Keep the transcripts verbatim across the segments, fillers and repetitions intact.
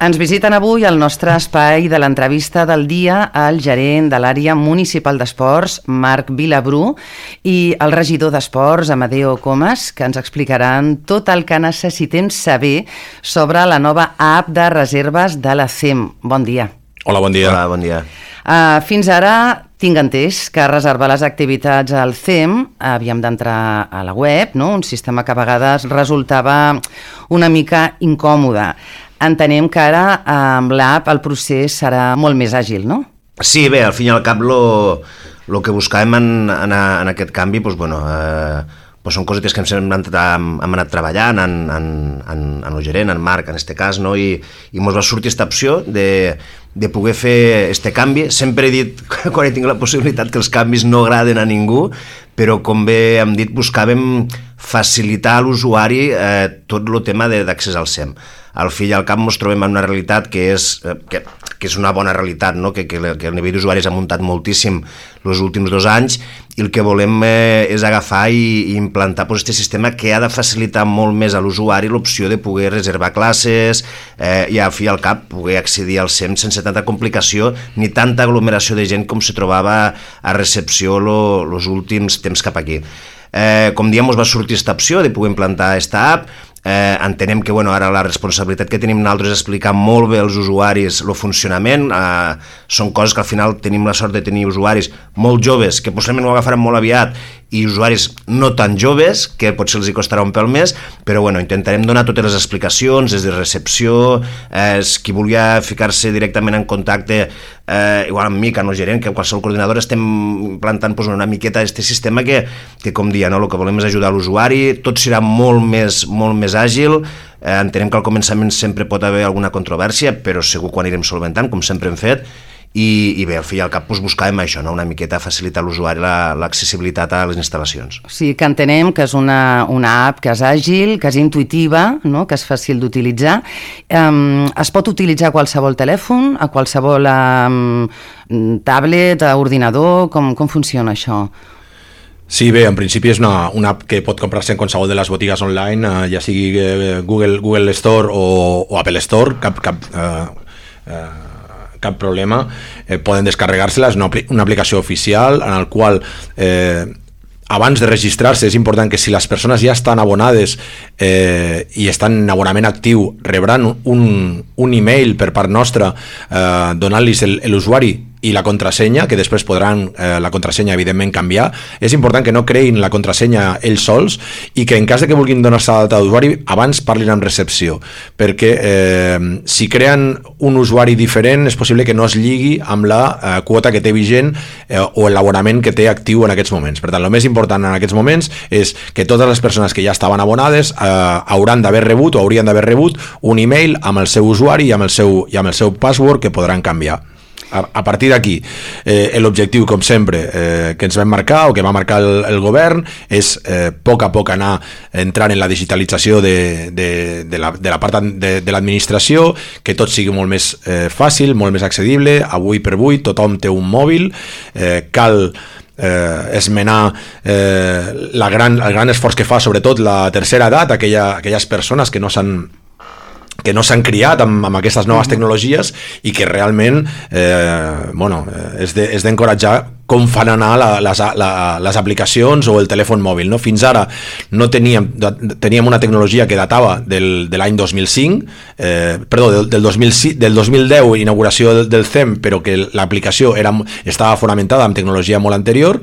Ens visiten avui al nostre espai de l'entrevista del dia el gerent de l'àrea municipal d'esports, Marc Vilabrú, i el regidor d'esports, Amadeo Comas, que ens explicaran tot el que necessitem saber sobre la nova app de reserves de la C E M. Bon dia. Hola, bon dia. Hola, bon dia. Uh, fins ara tinc entès que reservar les activitats al C E M havíem d'entrar a la web, no? Un sistema que a vegades resultava una mica incòmode. Entenem que ara amb l'app el procés serà molt més àgil, no? Sí, bé, al fin i al cap lo, lo que buscàvem en, en, en aquest canvi doncs, bueno, eh, doncs són cosetes que hem anat, hem anat treballant en, en, en, en el gerent, en Marc, en este cas, no? I, i ens va sortir aquesta opció de, de poder fer este canvi. Sempre he dit, quan he tingut la possibilitat, que els canvis no agraden a ningú, però com bé hem dit, buscàvem facilitar a l'usuari eh, tot el tema d'accés al C E M. Al fi i al cap ens trobem en una realitat que és, que, que és una bona realitat, no? que, que, que el nivell d'usuaris ha muntat moltíssim els últims dos anys i el que volem eh, és agafar i, i implantar pues, este sistema que ha de facilitar molt més a l'usuari l'opció de poder reservar classes eh, i al fi i al cap poder accedir al C E M sense tanta complicació ni tanta aglomeració de gent com se trobava a recepció els últims temps cap aquí. Eh, com diem, ens va sortir aquesta opció de poder implantar aquesta app. Eh, entenem que bueno, ara la responsabilitat que tenim nosaltres és explicar molt bé als usuaris el funcionament. Eh, són coses que al final tenim la sort de tenir usuaris molt joves que possiblement ho agafaran molt aviat i usuaris no tan joves que potser els hi costarà un pèl més, però bueno, intentarem donar totes les explicacions des de recepció, eh, qui volia ficar-se directament en contacte eh, igual amb mi, que no gerent, que qualsevol coordinador estem implantant pues, una miqueta aquest sistema que, que com dia, no? El que volem és ajudar l'usuari, tot serà molt més, molt més àgil. Eh, entenem que al començament sempre pot haver alguna controvèrsia, però segur que ho anirem solventant, com sempre hem fet. I, i bé, al fi i al cap doncs, buscàvem això, no? Una miqueta facilitar a l'usuari l'accessibilitat a les instal·lacions. O sigui que entenem que és una, una app que és àgil, que és intuïtiva, no? Que és fàcil d'utilitzar. Um, es pot utilitzar a qualsevol telèfon, a qualsevol um, tablet, a ordinador, com, com funciona això? Sí, bé, en principi és una, una app que pot comprar-se en qualsevol de les botigues online, eh, ja sigui eh, Google, Google Store o, o Apple Store, cap... cap eh, eh, cap problema, eh, poden descarregar-se-la, és una, una aplicació oficial en el qual eh, abans de registrar-se és important que si les persones ja estan abonades eh, i estan en abonament actiu rebran un, un email per part nostra eh, donant-los l'usuari i la contrasenya, que després podran eh, la contrasenya evidentment canviar. És important que no creïn la contrasenya ells sols i que en cas de que vulguin donar-se d'alta d'usuari abans parlin amb recepció, perquè eh, si creen un usuari diferent és possible que no es lligui amb la eh, quota que té vigent eh, o l'abonament que té actiu en aquests moments. Per tant, el més important en aquests moments és que totes les persones que ja estaven abonades eh, hauran d'haver rebut o haurien d'haver rebut un email amb el seu usuari i amb el seu, i amb el seu password que podran canviar. A partir d'aquí, eh, l'objectiu, com sempre, eh, que ens vam marcar o que va marcar el, el govern és eh, a poc a poc anar entrant en la digitalització de, de, de, la, de la part de, de l'administració, que tot sigui molt més eh, fàcil, molt més accedible. Avui per avui tothom té un mòbil, eh, cal eh, esmenar eh, la gran, el gran esforç que fa sobretot la tercera edat, aquella, aquelles persones que no s'han que no s'han criat amb, amb aquestes noves tecnologies i que realment eh, bueno, és de, és d'encoratjar com fan anar la, les, la, les aplicacions o el telèfon mòbil. No? Fins ara no teníem, teníem una tecnologia que datava del, de l'any dos mil cinc, eh, perdó, del, del, dos mil, del dos mil deu, inauguració del, del C E M, però que l'aplicació era, estava fonamentada en tecnologia molt anterior,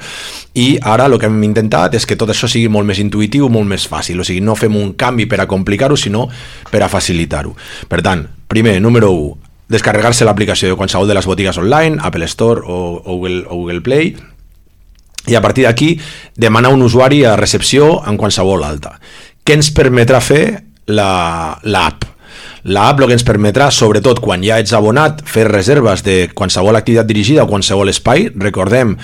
i ara el que hem intentat és que tot això sigui molt més intuïtiu, molt més fàcil. O sigui, no fem un canvi per a complicar-ho, sinó per a facilitar-ho. Per tant, primer, número u, descarregar-se l'aplicació de qualsevol de les botigues online, Apple Store o, o, Google, o Google Play, i a partir d'aquí demanar un usuari a recepció en qualsevol alta. Què ens permetrà fer l'app? L'app el que ens permetrà, sobretot quan ja ets abonat, fer reserves de qualsevol activitat dirigida o qualsevol espai. Recordem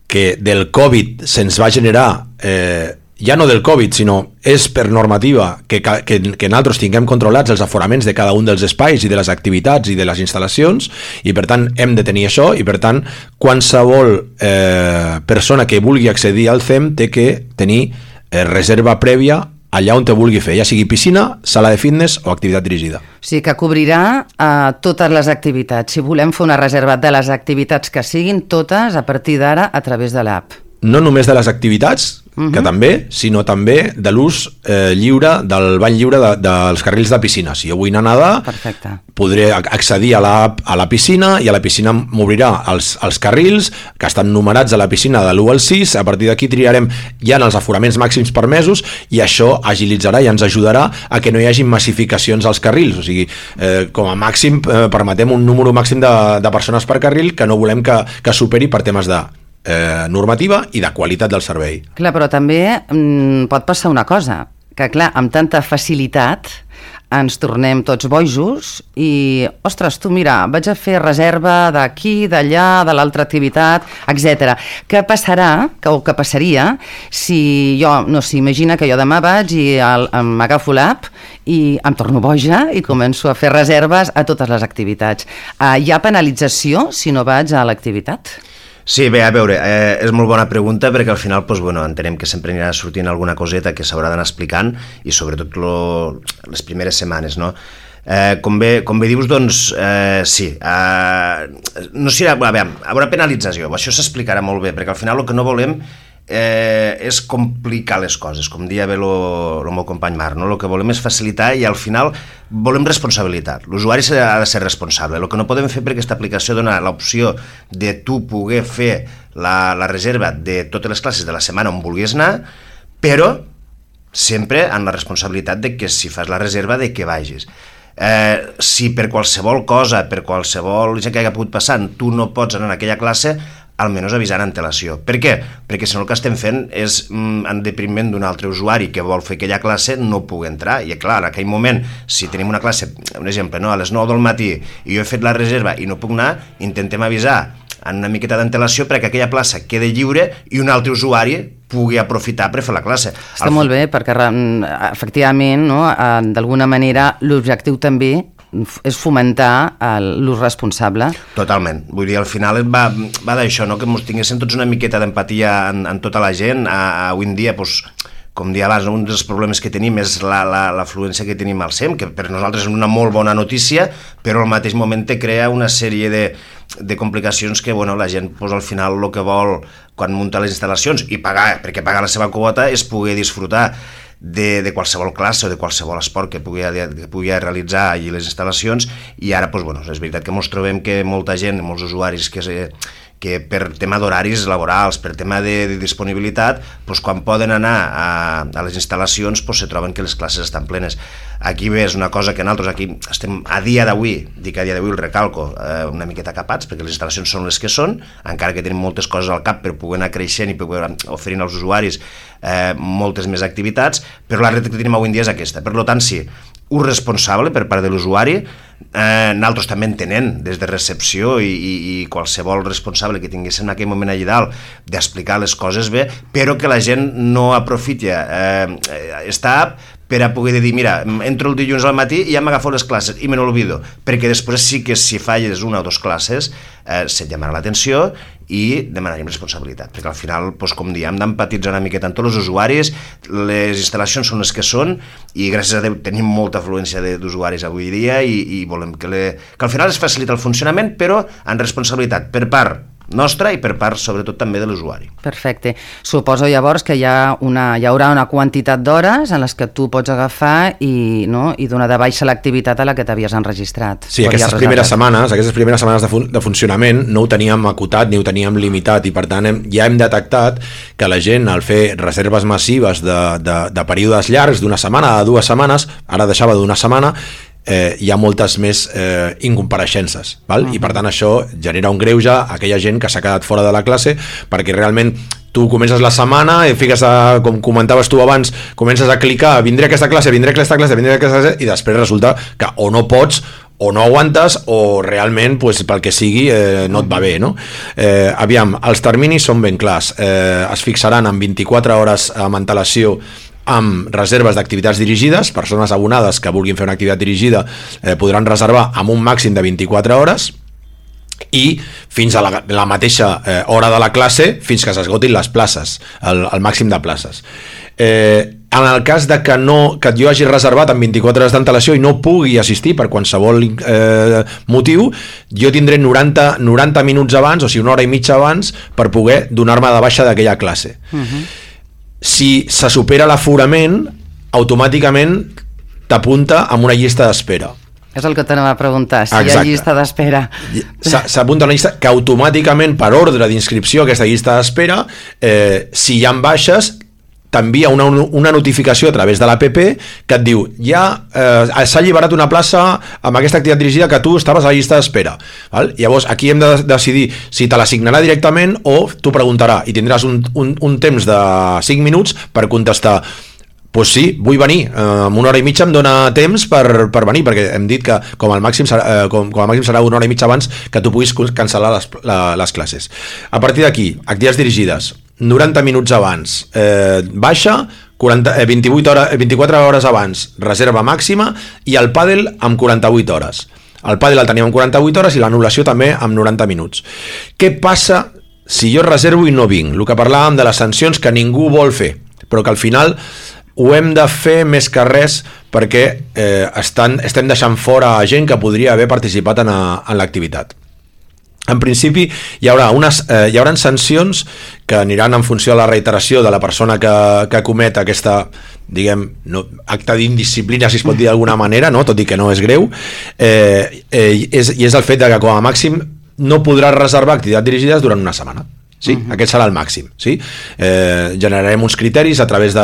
que del Covid se'ns va generar eh, ja no del Covid, sinó és per normativa que, que, que nosaltres tinguem controlats els aforaments de cada un dels espais i de les activitats i de les instal·lacions, i per tant hem de tenir això, i per tant qualsevol eh, persona que vulgui accedir al C E M té que tenir eh, reserva prèvia allà on te vulgui fer, ja sigui piscina, sala de fitness o activitat dirigida. O sigui que cobrirà uh, totes les activitats. Si volem fer una reserva de les activitats que siguin, totes a partir d'ara a través de l'app. No només de les activitats, uh-huh. que també, sinó també de l'ús eh, lliure, del bany lliure de, dels carrils de piscina. Si jo vull anar a nedar, perfecte, podré accedir a la, a la piscina i a la piscina m'obrirà els, els carrils que estan numerats a la piscina de l'u al sis. A partir d'aquí triarem ja en els aforaments màxims permesos i això agilitzarà i ens ajudarà a que no hi hagi massificacions als carrils. O sigui, eh, com a màxim eh, permetem un número màxim de, de persones per carril que no volem que, que superi per temes de Eh, normativa i de qualitat del servei. Clar, però també mm, pot passar una cosa, que clar, amb tanta facilitat ens tornem tots bojos i, ostres, tu mira, vaig a fer reserva d'aquí, d'allà, de l'altra activitat, etcètera. Què passarà, que, o què passaria, si jo, no sé, imagina que jo demà vaig i m'agafo l'app i em torno boja i començo a fer reserves a totes les activitats. Uh, hi ha penalització si no vaig a l'activitat? Sí, bé, a veure, eh, és molt bona pregunta perquè al final doncs, bueno, entenem que sempre anirà sortint alguna coseta que s'haurà d'anar explicant i sobretot lo, les primeres setmanes, no? Eh, com, bé, com bé dius, doncs, eh, sí, eh, no serà, a veure, hi haurà penalització, això s'explicarà molt bé, perquè al final el que no volem eh, és complicar les coses, com deia bé el meu company Marc, no? El que volem és facilitar i al final volem responsabilitat. L'usuari ha de ser responsable. El que no podem fer per aquesta aplicació dona l'opció de tu poder fer la, la reserva de totes les classes de la setmana on vulguis anar, però sempre amb la responsabilitat de que si fas la reserva de que vagis. Eh, si per qualsevol cosa, per qualsevol gent que hagi pogut passar, tu no pots anar en aquella classe, almenys avisar en antelació. Per què? Perquè si no el que estem fent és mm, en depriment d'un altre usuari que vol fer aquella classe no pugui entrar. I clar, en aquell moment, si tenim una classe, un exemple, no, a les nou del matí i jo he fet la reserva i no puc anar, intentem avisar en una miqueta d'antelació perquè aquella plaça quede lliure i un altre usuari pugui aprofitar per fer la classe. Està Al... molt bé, perquè efectivament, no, d'alguna manera, l'objectiu també és fomentar l'ús responsable. Totalment. Vull dir, al final va, va d'això, no? Que ens tinguéssim tots una miqueta d'empatia en, en tota la gent. A, a, avui en dia, doncs, com dia abans, un dels problemes que tenim és l'afluència que tenim al S E M, que per nosaltres és una molt bona notícia, però al mateix moment te crea una sèrie de, de complicacions que bueno, la gent doncs, al final el que vol quan munta les instal·lacions i pagar, perquè pagar la seva quota és poder disfrutar De, de qualsevol classe o de qualsevol esport que pugui, que pugui realitzar allí les instal·lacions i ara doncs, bueno, és veritat que ens trobem que molta gent, molts usuaris que, se, que per tema d'horaris laborals, per tema de, de disponibilitat, doncs, quan poden anar a, a les instal·lacions doncs, se troben que les classes estan plenes. Aquí bé, és una cosa que nosaltres aquí estem a dia d'avui, dic a dia d'avui el recalco, eh, una miqueta capats perquè les instal·lacions són les que són, encara que tenim moltes coses al cap per poder anar creixent i poder oferir als usuaris eh, moltes més activitats, però la realitat que tenim avui en dia és aquesta. Per tant, sí, un responsable per part de l'usuari, eh, nosaltres també entenent des de recepció i, i, i qualsevol responsable que tinguéssim en aquell moment allà dalt d'explicar les coses bé, però que la gent no aprofiti eh, esta app per a poder dir, mira, entro el dilluns al matí i ja m'agafo les classes i me n'olvido, perquè després sí que si falles una o dues classes eh, se't llamarà l'atenció i demanaríem responsabilitat, perquè al final, doncs, com diem, hem d'empatitzar una miqueta amb tots els usuaris, les instal·lacions són les que són i gràcies a Déu tenim molta afluència d'usuaris avui dia i, i volem que, le, que al final es facilita el funcionament, però amb responsabilitat per part nostra i per part, sobretot, també de l'usuari. Perfecte. Suposo llavors que hi, ha una, hi haurà una quantitat d'hores en les que tu pots agafar i, no, i donar de baixa l'activitat a la que t'havies enregistrat. Sí, aquestes primeres setmanes, aquestes primeres setmanes de, fun de funcionament no ho teníem acotat ni ho teníem limitat i per tant hem, ja hem detectat que la gent al fer reserves massives de, de, de períodes llargs d'una setmana a dues setmanes, ara deixava d'una setmana, Eh, hi ha moltes més eh, incompareixences, val? Uh-huh. I per tant això genera un greuge a aquella gent que s'ha quedat fora de la classe perquè realment tu comences la setmana i fiques a, com comentaves tu abans, comences a clicar vindré a aquesta classe, vindré a aquesta classe, vindré a aquesta classe i després resulta que o no pots o no aguantes o realment pues, pel que sigui eh, no et va bé, no? Eh, aviam, els terminis són ben clars, eh, es fixaran en vint-i-quatre hores amb antelació amb reserves d'activitats dirigides, persones abonades que vulguin fer una activitat dirigida eh, podran reservar amb un màxim de vint-i-quatre hores i fins a la, la mateixa eh, hora de la classe fins que s'esgotin les places, el, el màxim de places. Eh, en el cas de que, no, que jo hagi reservat amb vint-i-quatre hores d'antelació i no pugui assistir per qualsevol eh, motiu, jo tindré noranta, noranta minuts abans, o sigui una hora i mitja abans, per poder donar-me de baixa d'aquella classe. Uh-huh. Si se supera l'aforament, automàticament t'apunta amb una llista d'espera. És el que t'anava a preguntar, si Exacte. Hi ha llista d'espera. S'apunta una llista que automàticament, per ordre d'inscripció a aquesta llista d'espera, eh, si hi ha baixes, t'envia una, una notificació a través de l'app que et diu ja eh, s'ha alliberat una plaça amb aquesta activitat dirigida que tu estaves a la llista d'espera. Val? Llavors aquí hem de decidir si te l'assignarà directament o t'ho preguntarà i tindràs un, un, un temps de cinc minuts per contestar pues sí, vull venir, eh, amb una hora i mitja em dona temps per, per venir, perquè hem dit que com al màxim serà, eh, com, com al màxim serà una hora i mitja abans que tu puguis cancel·lar les, la, les classes. A partir d'aquí, activitats dirigides, noranta minuts abans, eh, baixa, quaranta, eh, vint-i-vuit hores, vint-i-quatre hores abans, reserva màxima, i el pàdel amb quaranta-vuit hores. El pàdel el teníem amb quaranta-vuit hores i l'anul·lació també amb noranta minuts. Què passa si jo reservo i no vinc? El que parlàvem de les sancions que ningú vol fer, però que al final ho hem de fer més que res perquè eh, estan, estem deixant fora gent que podria haver participat en, a, en l'activitat. En principi hi haurà, unes, eh, hi haurà sancions que aniran en funció de la reiteració de la persona que, que comet aquesta, diguem, no, acte d'indisciplina, si es pot dir d'alguna manera, no? Tot i que no és greu, eh, eh, és, i és el fet de que com a màxim no podràs reservar activitats dirigides durant una setmana. Sí? Uh-huh. Aquest serà el màxim, sí? Eh, generarem uns criteris a través de,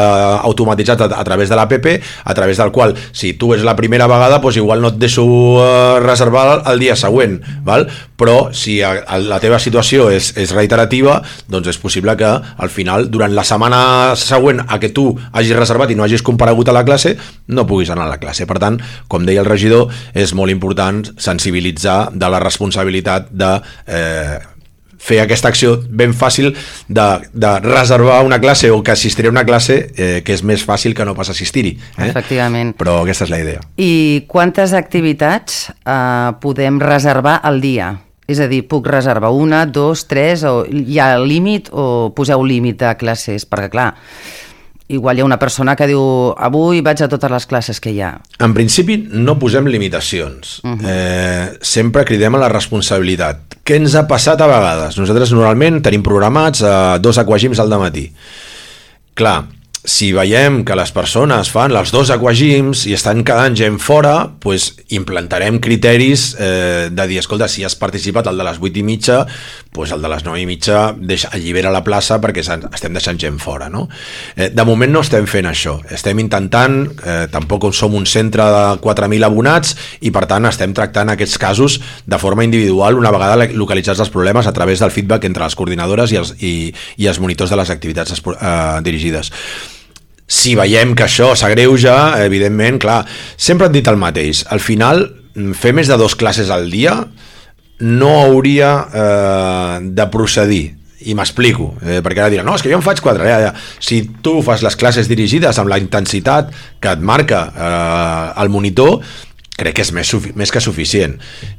automatitzats a, a través de l'app, a través del qual, si tu és la primera vegada, doncs igual no et deixo eh, reservar el dia següent, val? Però si a, a la teva situació és, és reiterativa, doncs és possible que al final, durant la setmana següent a que tu hagis reservat i no hagis comparegut a la classe, no puguis anar a la classe. Per tant, com deia el regidor, és molt important sensibilitzar de la responsabilitat de eh, fer aquesta acció ben fàcil de, de reservar una classe o que assistiré a una classe eh, que és més fàcil que no pas assistir-hi. Eh? Efectivament. Però aquesta és la idea. I quantes activitats eh, podem reservar al dia? És a dir, puc reservar una, dos, tres, o hi ha límit o poseu límit de classes? Perquè clar, igual hi ha una persona que diu avui vaig a totes les classes que hi ha. En principi no posem limitacions. Uh-huh. eh, sempre cridem a la responsabilitat. Què ens ha passat a vegades? Nosaltres normalment tenim programats eh, dos aquagims al dematí. Clar, si veiem que les persones fan els dos aquagims i estan quedant gent fora, doncs implantarem criteris eh, de dir, escolta, si has participat al de les vuit i mitja, doncs el de les nou i mitja deixa, allibera la plaça perquè estem deixant gent fora, no? Eh, de moment no estem fent això. Estem intentant, eh, tampoc som un centre de quatre mil abonats i per tant estem tractant aquests casos de forma individual una vegada localitzats els problemes a través del feedback entre les coordinadores i els, i, i els monitors de les activitats eh, dirigides. Si veiem que això s'agreuja, evidentment, clar, sempre hem dit el mateix. Al final, fer més de dos classes al dia no hauria eh, de procedir. I m'explico, eh, perquè ara diran, no, és que jo en faig quatre. Ja, ja. Si tu fas les classes dirigides amb la intensitat que et marca eh, el monitor, crec que és més, més que suficient.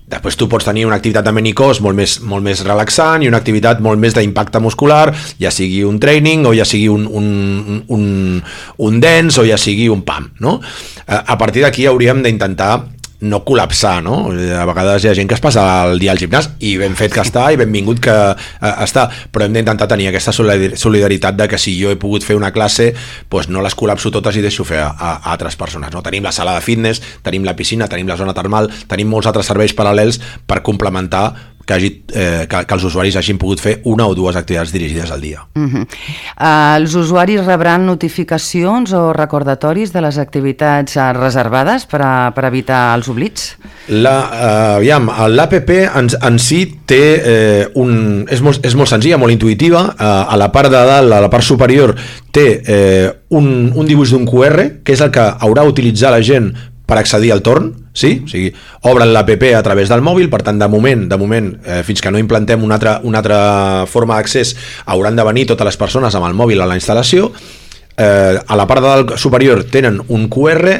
Després tu pots tenir una activitat de menicós molt més, molt més relaxant i una activitat molt més d'impacte muscular, ja sigui un training o ja sigui un, un, un, un dance o ja sigui un pam, no? A partir d'aquí hauríem d'intentar no col·lapsar, no? A vegades hi ha gent que es passa el dia al gimnàs i ben fet que està i benvingut que eh, està, però hem d'intentar tenir aquesta solidaritat de que si jo he pogut fer una classe, doncs no les col·lapso totes i deixo fer a, a, a altres persones, no? Tenim la sala de fitness, tenim la piscina, tenim la zona termal, tenim molts altres serveis paral·lels per complementar que, hagi, eh, que, que els usuaris hagin pogut fer una o dues activitats dirigides al dia. Uh-huh. uh, els usuaris rebran notificacions o recordatoris de les activitats uh, reservades per, a, per evitar els oblits? La, uh, aviam, l'app en, en si té eh, un, és, molt, és molt senzilla, molt intuïtiva. Uh, a la part de dalt, a la part superior, té eh, un, un dibuix d'un Q R, que és el que haurà d'utilitzar la gent per accedir al torn, sí? O sigui, obren l'app a través del mòbil, per tant, de moment, de moment eh, fins que no implantem una altra, una altra forma d'accés, hauran de venir totes les persones amb el mòbil a la instal·lació. Eh, a la part de dalt superior tenen un Q R,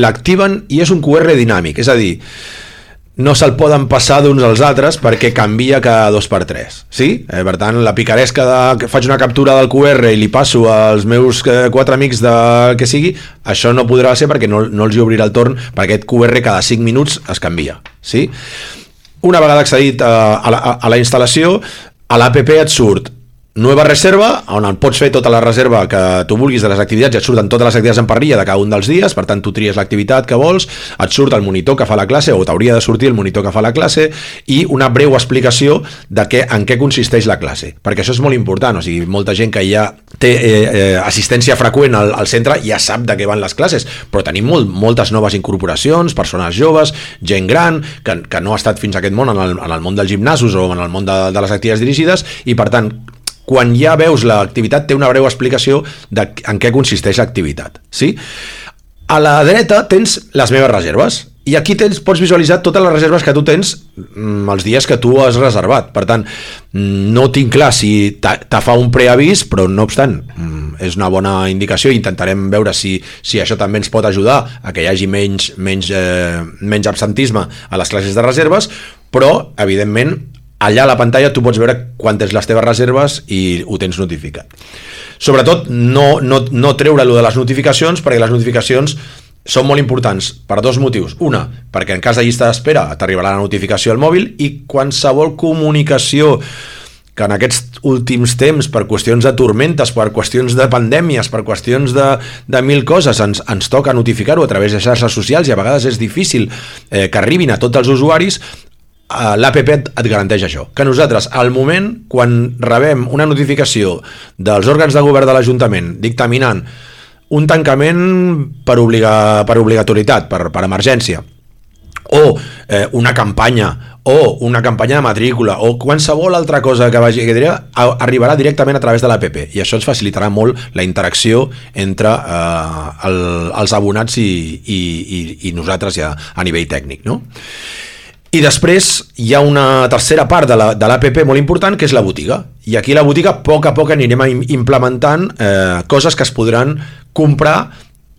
l'activen i és un Q R dinàmic, és a dir, no se'l poden passar d'uns als altres perquè canvia cada dos per tres, sí? Eh, per tant, la picaresca de que faig una captura del Q R i li passo als meus eh, quatre amics de que sigui, això no podrà ser perquè no, no els hi obrirà el torn, perquè aquest Q R cada cinc minuts es canvia, sí? Una vegada accedit a, a, la, a la instal·lació, a l'app et surt Nueva reserva, on pots fer tota la reserva que tu vulguis de les activitats i et surten totes les activitats en parrilla de cada un dels dies, per tant tu tries l'activitat que vols, et surt el monitor que fa la classe o t'hauria de sortir el monitor que fa la classe i una breu explicació de què, en què consisteix la classe, perquè això és molt important, o sigui, molta gent que ja té eh, eh, assistència freqüent al, al centre ja sap de què van les classes, però tenim molt, moltes noves incorporacions, persones joves, gent gran, que, que no ha estat fins a aquest món en el, en el món dels gimnasos o en el món de, de les activitats dirigides i per tant quan ja veus l'activitat té una breu explicació de en què consisteix l'activitat, sí? A la dreta tens les meves reserves i aquí tens, pots visualitzar totes les reserves que tu tens mm, els dies que tu has reservat, per tant no tinc clar si te fa un preavís, però no obstant mm, és una bona indicació i intentarem veure si, si això també ens pot ajudar a que hi hagi menys, menys, eh, menys absentisme a les classes de reserves, però evidentment allà a la pantalla tu pots veure quantes les teves reserves i ho tens notificat. Sobretot no, no, no treure-lo de les notificacions, perquè les notificacions són molt importants per dos motius. Una, perquè en cas de llista d'espera t'arribarà la notificació al mòbil i qualsevol comunicació que en aquests últims temps, per qüestions de tormentes, per qüestions de pandèmies, per qüestions de, de mil coses, ens, ens toca notificar-ho a través de xarxes socials i a vegades és difícil eh, que arribin a tots els usuaris. L'App et garanteix això, que nosaltres al moment quan rebem una notificació dels òrgans de govern de l'Ajuntament dictaminant un tancament per, obliga, per obligatorietat, per, per emergència o eh, una campanya o una campanya de matrícula o qualsevol altra cosa que vagi que diria, arribarà directament a través de l'App i això ens facilitarà molt la interacció entre eh, el, els abonats i, i, i, i nosaltres ja a nivell tècnic, no? I després hi ha una tercera part de l'App molt important, que és la botiga. I aquí a la botiga, a poc a poc, anirem implementant eh, coses que es podran comprar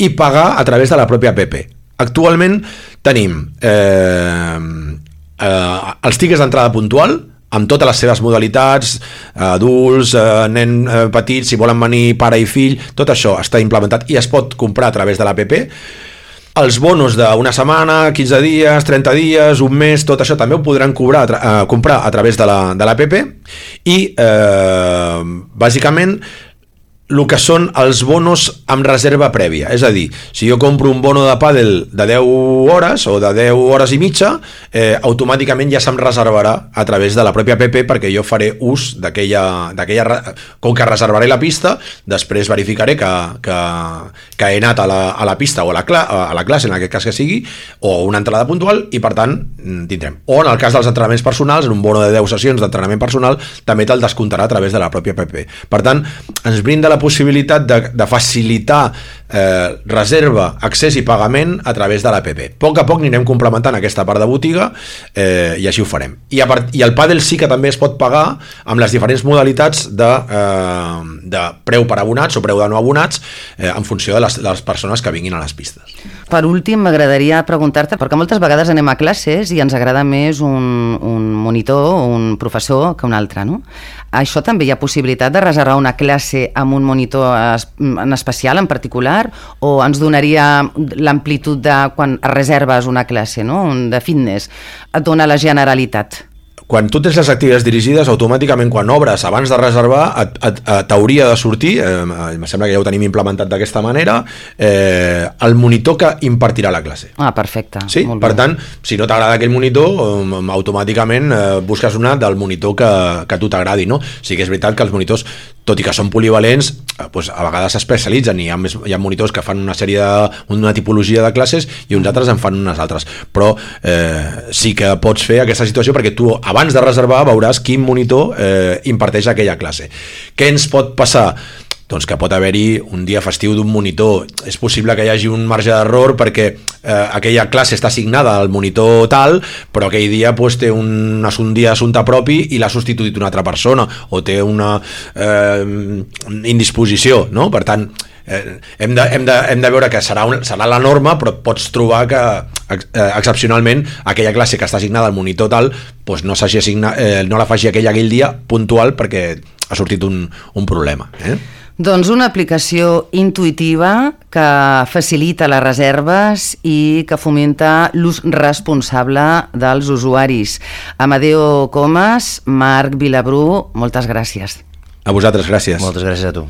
i pagar a través de la pròpia app. Actualment tenim eh, eh, els tickets d'entrada puntual, amb totes les seves modalitats, adults, eh, nen eh, petits, si volen venir pare i fill, tot això està implementat i es pot comprar a través de l'app. Els bonos d'una setmana, quinze dies, trenta dies, un mes, tot això també ho podran cobrar, eh, comprar a través de l'app i eh, bàsicament el que són els bonos amb reserva prèvia, és a dir, si jo compro un bono de pàdel de deu hores o de deu hores i mitja, eh, automàticament ja se'm reservarà a través de la pròpia app perquè jo faré ús d'aquella, com que reservaré la pista, després verificaré que, que, que he anat a la, a la pista o a la, a la classe, en aquest cas que sigui, o una entrada puntual i per tant tindrem. O en el cas dels entrenaments personals, en un bono de deu sessions d'entrenament personal, també te'l descomptarà a través de la pròpia app. Per tant, ens brinda la possibilitat de, de facilitar eh, reserva, accés i pagament a través de l'app. A poc a poc anirem complementant aquesta part de botiga eh, i així ho farem. I, a part, I el pàdel sí que també es pot pagar amb les diferents modalitats de, eh, de preu per abonats o preu de no abonats eh, en funció de les, de les persones que vinguin a les pistes. Per últim, m'agradaria preguntar-te, perquè moltes vegades anem a classes i ens agrada més un, un monitor o un professor que un altre, no? Això també hi ha possibilitat de reservar una classe amb un monitor en especial, en particular, o ens donaria l'amplitud de quan reserves una classe, no? De fitness, et dona la generalitat? Quan tu tens les activitats dirigides, automàticament quan obres abans de reservar t'hauria de sortir, eh, em sembla que ja ho tenim implementat d'aquesta manera, eh, el monitor que impartirà la classe. Ah, perfecte. Sí? Per tant, si no t'agrada aquell monitor, eh, automàticament eh, busques una del monitor que, que a tu t'agradi, no? Sí que és veritat que els monitors, tot i que són polivalents, eh, doncs a vegades s'especialitzen i hi ha, més, hi ha monitors que fan una sèrie de, una tipologia de classes i uns altres en fan unes altres, però eh, sí que pots fer aquesta situació perquè tu abans de reservar veuràs quin monitor eh, imparteix aquella classe. Què ens pot passar? Doncs que pot haver-hi un dia festiu d'un monitor. És possible que hi hagi un marge d'error perquè eh, aquella classe està assignada al monitor tal, però aquell dia pues, té un, un dia d'assumpte propi i l'ha substituït una altra persona o té una eh, indisposició, no? Per tant, eh, hem, de, hem, de, hem de veure que serà, un, serà la norma, però pots trobar que eh, excepcionalment aquella classe que està assignada al monitor tal, doncs no, assigna, eh, no la faci aquell aquell dia puntual perquè ha sortit un, un problema. Eh? Doncs una aplicació intuïtiva que facilita les reserves i que fomenta l'ús responsable dels usuaris. Amadeo Comas, Marc Vilabrú, moltes gràcies. A vosaltres, gràcies. Moltes gràcies a tu.